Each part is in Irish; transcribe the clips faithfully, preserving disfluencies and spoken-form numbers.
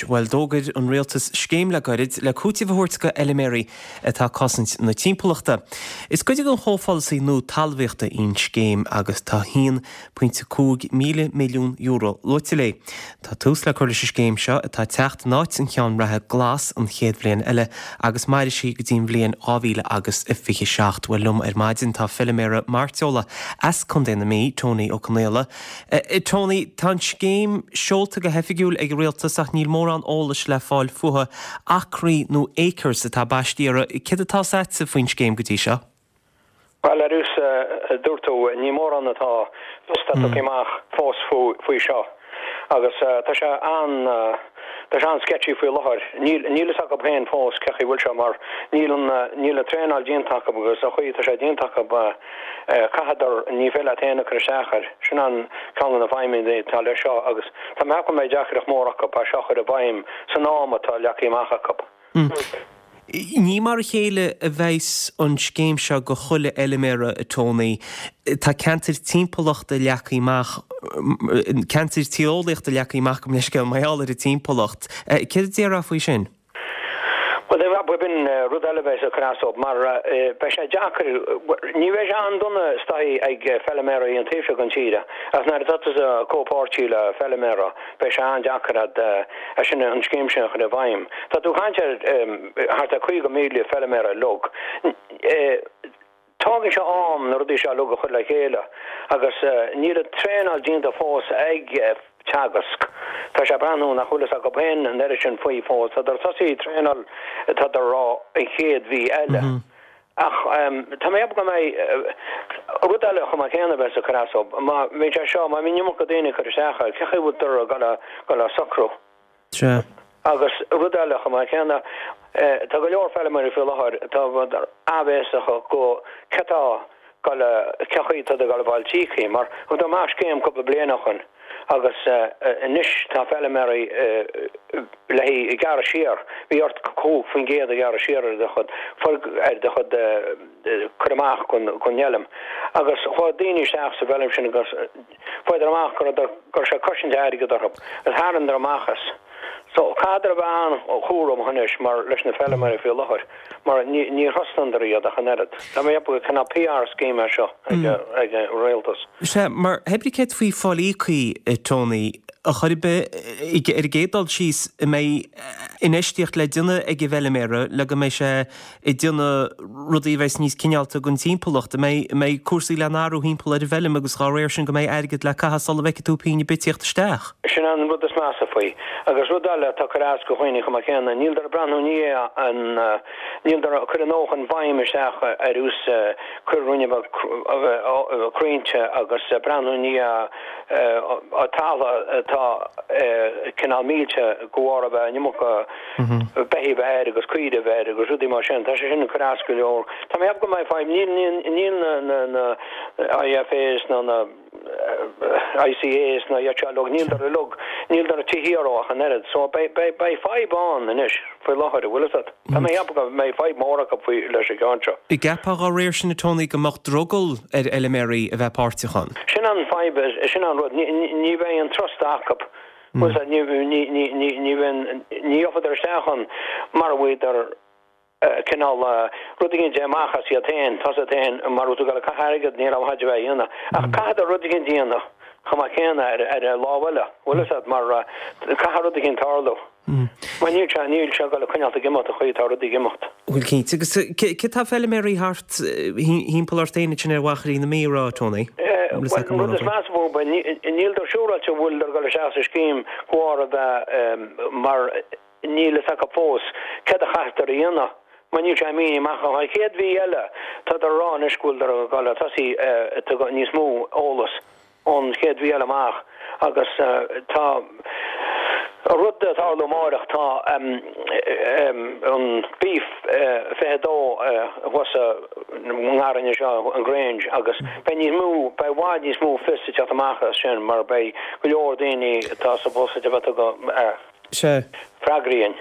Anois, bhuel, d'fhógair an rialtas scéim le gairid le cúiteamh a thabhairt go fheilméaraí atá ag cosaint na timpeallachta. Is cuid den chomhpholasaí nua talmhaíochta í an scéim agus tá haon pointe cúig míle milliún euro luaite léi. Tá tús le cur leis an scéim seo atá ag teacht in áit an cheann reatha GLAS an chéad bhliain eile agus mairfidh sí go dtí an bhliain dhá mhíle agus a fiche seacht. Bhuel, liom ar maidin tá feilméara mairteola as Contae na Mí, Tony Ó Conaola. Tony, tá an scéim seolta go hoifigiúil ag an rialtas ach níl mórán eolais le fáil fúithi. Acraí nó acres atá baiste uirthi. Céard atá agatsa faoin scéim go dtí seo? Bhuel, ar nós a dúirt tú, ní mórán atá tugtha amach fós faoi seo agus tá sé an tá sé an-sketchy faoi láthair. Níl níl fhios acu féin fós cé chaoi bhfuil sé mar níl an níl an traenáil déanta acu agus an chaoi atá sé déanta acu caithfidh ní féidir leat féin a chur isteach air. Sin an ceann de na fadhbanna atá leis seo agus tá mé ag ceapadh go mbeidh deacracht mór acu é seo a chur i bhfeidhm san am atá leagtha amach acu. Ní mar a chéile a bheas an scéim seo go chuile fheilméara, a Tony. Tá ceantair timpeallachta leagtha amach, ceantair tíreolaíochta leagtha amach gabh mo leithscéal mar gheall ar an timpeallacht. Céard a déarfá faoi sin? Bhuel, b'in rud eile a bheas ag cur as dóibh mar beidh sé deacair, ní bheidh sé an-dona istoíche ag feilméaraí an taobh seo den tír ach nuair atá tusa comhpháirtí le feilméara beidh sé an-deacair a'd é sin an scéim sin a chur i bhfeidhm. Tá tú ag caint ar thart ar caoga míle feilméara uilig. Tógann sé am na rudaí seo uilig a chur le chéile agus níl an traenáil déanta fós ag Teagasc. Tá sé ag breathnú nach bhfuil fhios acu féin an oiread sin faoi fós. Tá siad ag tosaí traenáil tá siad ag rá an chéad mhí eile. Ach tá mé ag ceapadh go mbeidh rud eile chomh maith céanna a bheas ag cur as dóibh. Má bhíonn sé seo, má bhíonn an iomarca daoine ag cur isteach air, cé chaoi a bhfuil siad ag gabháil a socrú? Sea. Agus rud eile chomh maith céanna, tá go leor feilméaraí faoi láthair atá áibhéiseach go cé tá gabháil a, cé chaoi atá ag gabháil a fháil tíocaí, mar thugadar amach scéim cúpla bliain ó shoin agus anois tá feilméaraí le haghaidh gearradh siar, bhí ort cúig faoin gcéad a ghearradh siar ar do chuid, ar do chuid cur amach gon fheilm agus chuaigh daoine isteach sa bhfeilm sin agus fuaireadar amach go raibh go raibh sé ag cosaint airgead orthu agus tharraingíodar amach as. So caithfeadar a bheith an-chúramach anois mar leis na feilméaraí faoi láthair mar ní ní thrustandar iad ach an oiread. Tá mé ag ceapadh gur cineál PR scheme é seo ag ag an rialtas. Sea, mar pé ar bith céard faoi fáil íocaí, a Tony, a chor ar bith ar an gcéad dul síos, an mbeidh infheistíocht le déanamh ag an bhfeilméara le go mbeidh sé ag déanamh rudaí a bheas níos cineálta don timpeallacht, an mbeidh, an mbeidh cúrsaí le n-athrú thimpeall ar an bhfeilm agus dhá réir sin go mbeidh airgead le caitheamh sula bhfeicfidh tú pingin ar bith ag tíocht isteach. Sin an rud is measa faoi. Agus rud eile atá ag cur as go dhaoine chomh maith céanna, níl dar breathnú ní an, níl dar cur an nócha an bhfeidhm isteach ar ús cur rinne bheith crainnte agus breathnú ní talamh atá cineál millte go bharr a bheith an iomarca beithígh a bheith air agus caoire a bheith air agus rudaí mar sin. Tá sé sin ag cur as go leor. Tá mé ag ceapadh go mbeidh fadhb. Níl, níl, níl na, na, na IFAs ná na ICAs ná iad seo uilig, níl dar uilig, níl dar tithe orthu ach an oiread. So beidh, beidh, beidh fadhb ann anois faoi láthair, an bhfuil fhios agat. Tá mé ag ceapadh go mbeidh fadhb mór acu faoi leis an gceann seo. An gceapfá dá réir sin, a Tony, go mbeadh drogall ar fheilméaraí a bheith páirteach ann? Sin an fadhb, sin an rud. Ní, ní, ní bheidh an trust acu. Bhuel, ní, ní, ní, ní, ní bheinn, ní gheobhadar isteach ann mara bhfuighidar cineál rud éigin de amach as iad féin, tá siad féin mar tú ag gabháil a caitheamh airgead ní raibh haid a bheith a dhéanamh. Ach caithfeadar rud éigin a dhéanamh chomh maith céanna ar, ar an lámh eile, bhfuil fhios agat, mar caithfidh rud éigin tarlú. Mar níl sé, níl sé ag gabháil a coinneáilt ag imeacht an chaoi atá rudaí ag imeacht. Bhuel, cinnte. Agus cé tá feilméaraí thart thimpeall ort féin ansin ar Mhachairí na Mí, a rá, Tony? Bhuel, an rud is measa fúthu, níl dar siúráilte an bhfuil dar ag dul isteach sa scéim go bharr a bheith mar níl fhios acu fós céard a chaithfear a dhéanamh mar níl sé mínithe amach. An chéad mhí eile, tá dar a rá anois go bhfuil dar ag dul a tosaí níos mó eolas. ón chéad mhí eile amach agus tá rud ag tarlú amáireach, tá an Beef fiche a dó thuas sa ngarraí anseo, an Grange, agus beidh níos mó, beidh i bhfad níos mó fios ag teacht amach as sin mar beidh go leor daoine atá supposed a bheith ag. Sea. Freagraíonn.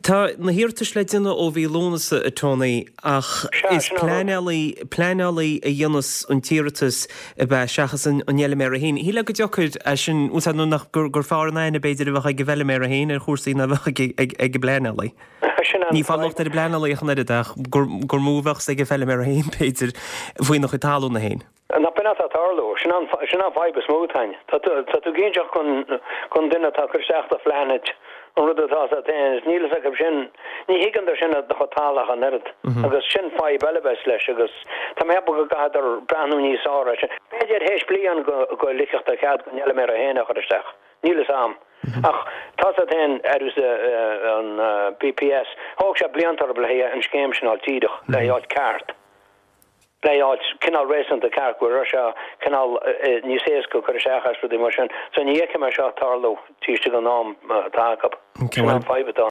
Tá na hiarratais le déanamh ó mhí Lúnasa, a Tony, ach is pleanálaí, pleanálaí a dhéanas an t-iarratas ab ea seachas an fheilméara féin. Shílfeá go dtiocfaidh é sin, úsáid nó nach gur fearr an aithne b'fhéidir a bheadh ag an bhfeilméara féin ar chúrsaí ná a bheadh ag an bpleanálaí. Ní fáil locht ar an bpleanálaí ach an oiread ach gur mó a bheadh ag an bhfeilméara féin b'fhéidir faoina chuid talúna féin. Nach b'in atá ag tarlú? Sin an fadhb is mó atá ann. Tá tú ag inseacht don duine atá ag cur isteach do phlean duit an rud atá agat féin is níl fhios acu sin, ní thuigeann dar sin do chuid talún ach an oiread. Agus sin fadhb eile a bheas leis agus tá mé ag ceapadh go gcaithfeadar breathnú níos fearr air sin. B'fhéidir théis bliain go ligfeadh do chead don fheilméara féin a chur isteach. Níl fhios a'm. Ach tá fhios agat féin ar an B P S, thóg sé blianta orthu le an scéim sin a fháil díreach, le fháil ceart. Le fháil cineál réasúnta ceart go raibh sé cineál níos éasca cur isteach as rudaí mar sin. So ní fheicim é seo tarlú taobh istigh den am atá acu. Sin an fadhb atá.